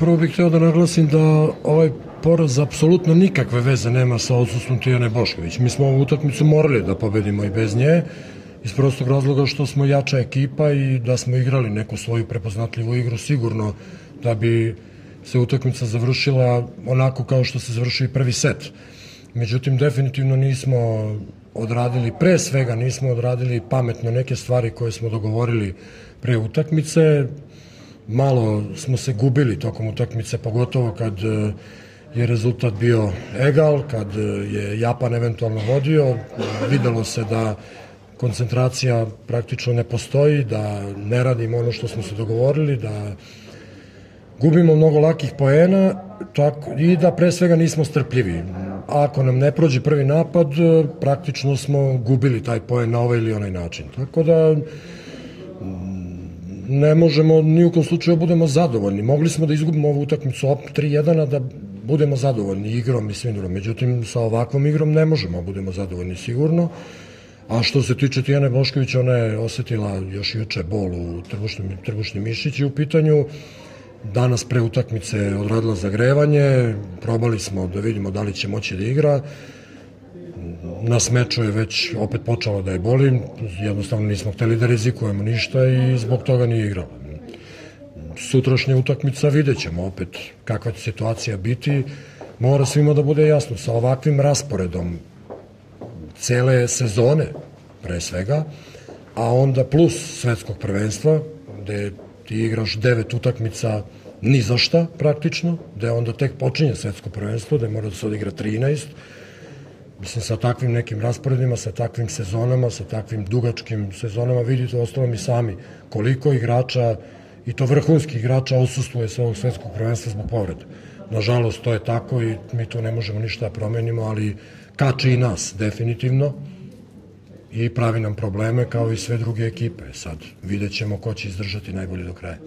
Prvo bih hteo da naglasim da ovaj poraz apsolutno nikakve veze nema sa odsustvom Tijane Bošković. Mi smo ovu utakmicu morali da pobedimo i bez nje, iz prostog razloga što smo jača ekipa i da smo igrali neku svoju prepoznatljivu igru, sigurno da bi se utakmica završila onako kao što se završio i prvi set. Međutim, definitivno nismo odradili, pre svega nismo odradili pametno neke stvari koje smo dogovorili pre utakmice. Malo smo se gubili tokom utakmice, pogotovo kad je rezultat bio egal, kad je Japan eventualno vodio. Videlo se da koncentracija praktično ne postoji, da ne radimo ono što smo se dogovorili, da gubimo mnogo lakih poena i da pre svega nismo strpljivi. Ako nam ne prođe prvi napad, praktično smo gubili taj poen na ovaj ili onaj način. Tako da ne možemo ni u kom slučaju budemo zadovoljni. Mogli smo da izgubimo ovu utakmicu 3-1, a da budemo zadovoljni igrom i svim drugim. Međutim, sa ovakvom igrom ne možemo da budemo zadovoljni sigurno. A što se tiče Tijane Bošković, ona je osetila još juče bol u trbušni mišići u pitanju. Danas pre utakmice odradila zagrevanje, probali smo da vidimo da li će moći da igra. Na smeču je već opet počelo da je boli, jednostavno nismo hteli da rizikujemo ništa i zbog toga nije igrala. Sutrašnja utakmica vidjet ćemo opet kakva će situacija biti. Mora svima da bude jasno, sa ovakvim rasporedom cele sezone pre svega, a onda plus svetskog prvenstva, gde ti igraš 9 utakmica ni za šta praktično, gde onda tek počinje svetsko prvenstvo, gde mora da se odigra 13. Mislim, sa takvim nekim rasporedima, sa takvim sezonama, sa takvim dugačkim sezonama, vidite ostalom i sami koliko igrača, i to vrhunskih igrača, odsustuje sa ovog svetskog prvenstva zbog povrede. Nažalost, to je tako i mi tu ne možemo ništa da promenimo, ali kače i nas, definitivno, i pravi nam probleme kao i sve druge ekipe. Sad vidjet ćemo ko će izdržati najbolje do kraja.